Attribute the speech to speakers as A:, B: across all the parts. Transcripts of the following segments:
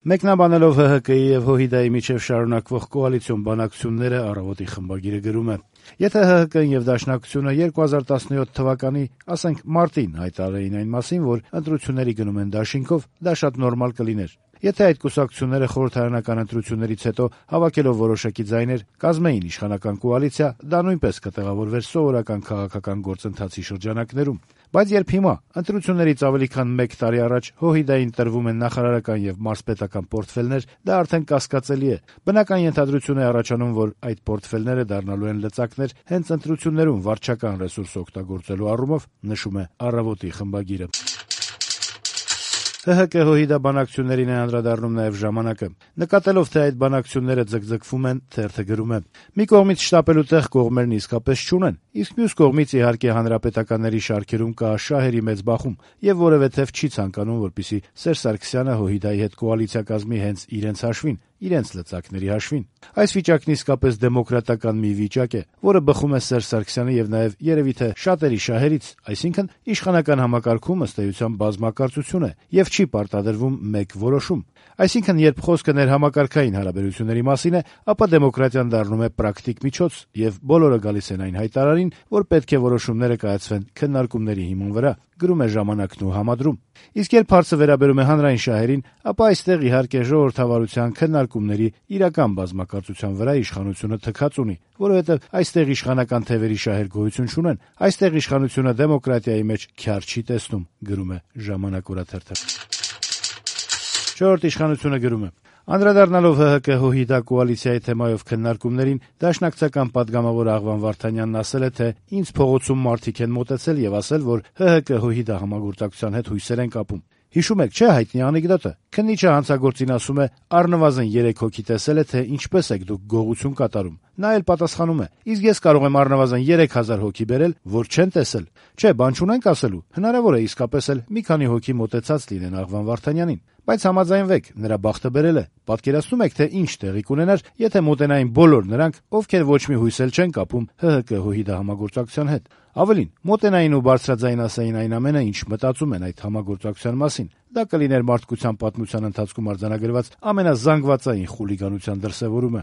A: Մեկնաբանելով ՀՀԿ-ի եւ ՀՅԴ-ի միջեւ շարունակվող կոալիցիոն բանակցությունները «Առավոտ»-ի խմբագիրը գրում է. - «Եթե ՀՀԿ-ն եւ Դաշնակցությունը 2017 թվականի, ասենք, մարտին հայտարարեին այն մասին, որ ընտրությունների գնում են դաշինքով, դա շատ նորմալ կլիներ: Եթե այդ կուսակցությունները խորհրդարանական ընտրություններից հետո հավաքելով որոշակի ձայներ կազմեին իշխանական կոալիցիա, դա նույնպես կտեղավորվեր սովորական քաղաքական գործընթացի շրջանակներում: Բայց երբ հիմա, ընտրություններից ավելի քան մեկ տարի առաջ, ՀՅԴ-ին տրվում են նախարարական եւ մարզպետական պորտֆելներ, դա արդեն կասկածելի է: Բնական ենթադրություն է առաջանում, որ այդ պորտֆելները դառնալու են լծակներ հենց ընտրություններում վարչական ռեսուրս օգտագործելու առումով»: ՀՀԿ-ՀՅԴ բանակցություններին է անդրադառնում նաեւ «Ժամանակ»-ը: Նկատելով, թե այդ բանակցությունները ձգձգվում են, թերթը գրում է. - «Մի կողմից շտապելու տեղ կողմերն իսկապես չունեն, իսկ մյուս կողմից, իհարկե, հանրապետականների շարքերում կա շահերի մեծ բախում, եւ որեւէ թեւ չի ցանկանում, որպեսզի Սերժ Սարգսյանը ՀՅԴ-ի հետ կոալիցիա կազմի հենց իրենց հաշվին, իրենց լծակների հաշվին: Այս վիճակն իսկապես դեմոկրատական մի վիճակ է, որը բխում է Սերժ Սարգսյանի եւ նաեւ երեւի թե շատերի շահերից, այսինքն իշխանական համակարգում, ըստ էության, բազմակարծություն է եւ չի պարտադրվում մեկ որոշում: Այսինքն, երբ խոսքը ներհամակարգային հարաբերությունների մասին է, ապա դեմոկրատիան դառնում է պրակտիկ միջոց, եւ բոլորը գալիս են այն հայտարարին, որ պետք է որոշումները կայացվեն քննարկումների հիման վրա: Իսկ երբ հարցը վերաբերում է հանրային շահերին, ապա այստեղ, իհարկե, ժողովրդավարության, քննարկումների, իրական բազմակարծության վրա իշխանությունը թքած ունի, որովհետեւ այստեղ իշխանական թեւերի շահեր գոյություն չունեն, այստեղ իշխանությունը դեմոկրատիայի մեջ քյար չի տեսնում»: «Չորրորդ ինքնիշխանություն»-ը գրում է. - «Անդրադառնալով ՀՀԿ-ՀՅԴ կոալիցիայի թեմայով քննարկումներին, դաշնակցական պատգամավոր Աղվան Վարդանյանն ասել է, թե ինձ փողոցում մարդիկ են մոտեցել եւ ասել, որ ՀՀԿ-ՀՅԴ համագործակցության հետ հույսեր են կապում: Հիշում եք, չէ՞, հայտնի անեկդոտը: Քննիչը հանցագործին ասում է. առնվազն 3 հոգի տեսել է, թե ինչպես եք դուք գողություն կատարում: Նա էլ պատասխանում է. իսկ ես կարող եմ առնվազն 3000 հոգի բերել, որ չեն տեսել: Չէ, բան չունենք ասելու, հնարավոր է իսկապես էլ մի քանի հոգի մոտեցած լինեն Աղվան Վարդանյանին: Բայց համաձայնվեք, նրա բախտը բերել է: Պատկերացնո՞ւմ եք, թե ինչ տեղի կունենար, եթե մոտենային բոլոր նրանք, ովքեր ոչ մի հույս էլ չեն կապում ՀՀԿ-ՀՅԴ համագործակցության հետ: Ավելին, մոտենային ու բարձրաձայն ասեին այն ամենը, ինչ մտածում են այդ համագործակցության մասին: Դա կլիներ մարդկության պատմության ընթացքում արձանագրված ամենազանգվածային խուլիգանության դրսեւորումը»: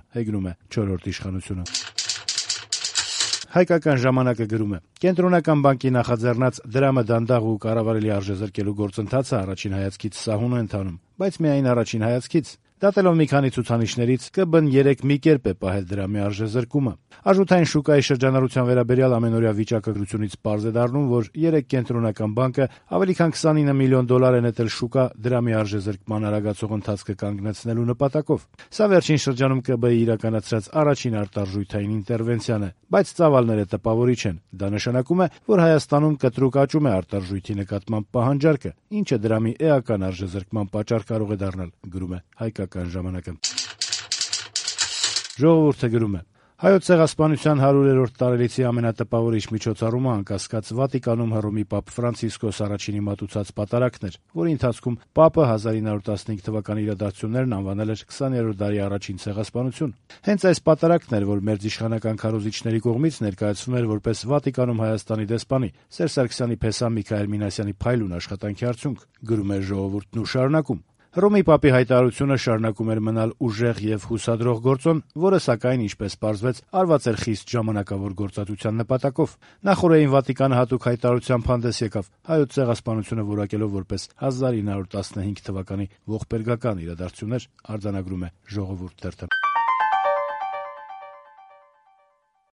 A: «Հայկական ժամանակ»-ը գրում է. - «Կենտրոնական բանկի նախաձեռնած դրամը դանդաղ ու կառավարելի արժեզրկելու գործընթացը առաջին հայացքից սահուն է ընթանում, բայց միայն առաջին հայացքից: Դատելով մի քանի ցուցանիշներից, ԿԲ-ն երեկ մի կերպ է պահել դրամի արժեզրկումը: Արժութային շուկայի շրջանառության վերաբերյալ ամենօրյա վիճակագրությունից պարզ է դառնում, որ երեկ Կենտրոնական բանկը ավելի քան 29 միլիոն դոլար է նետել շուկա դրամի արժեզրկման արագացող ընթացքը կանգնեցնելու նպատակով: Սա վերջին շրջանում ԿԲ-ի իրականացրած առաջին արտարժութային ինտերվենցիան է: Բայց ծավալները տպավորիչ են: Դա նշանակում է, որ Հայաստանում կտրուկ աճում է արտարժույթի նկատմամբ պահանջարկը, ինչը դրամի էական արժեզրկման պատճառ կարող է դառնալ»: «Ժողովուրդ»-ը գրում է. - «Հայոց ցեղասպանության 100-րդ տարելիցի ամենատպավորիչ միջոցառումը, անկասկած, Վատիկանում Հռոմի Պապ Ֆրանցիսկոս առաջինի մատուցած պատարագն էր, որի ընթացքում Պապը 1915 թվականի իրադարձություններն անվանել էր 20-րդ դարի առաջին ցեղասպանություն: Հենց այս պատարագն էր, որ մերձիշխանական քարոզիչների կողմից ներկայացվում էր որպես Վատիկանում Հայաստանի դեսպանի Սերժ Սարգսյանի փեսա Միքայել Մինասյանի փայլուն աշխատանքի արդյունք: Հռոմի Պապի հայտարարությունը շարունակում էր մնալ ուժեղ եւ հուսադրող գործոն, որը, սակայն, ինչպես պարզվեց, արված էր խիստ ժամանակավոր գործածության նպատակով: Նախօրեին Վատիկանը հատուկ հայտարարությամբ հանդես եկավ, Հայոց ցեղասպանությունը որակելով որպես 1915 թվականի ողբերգական իրադարձություններ: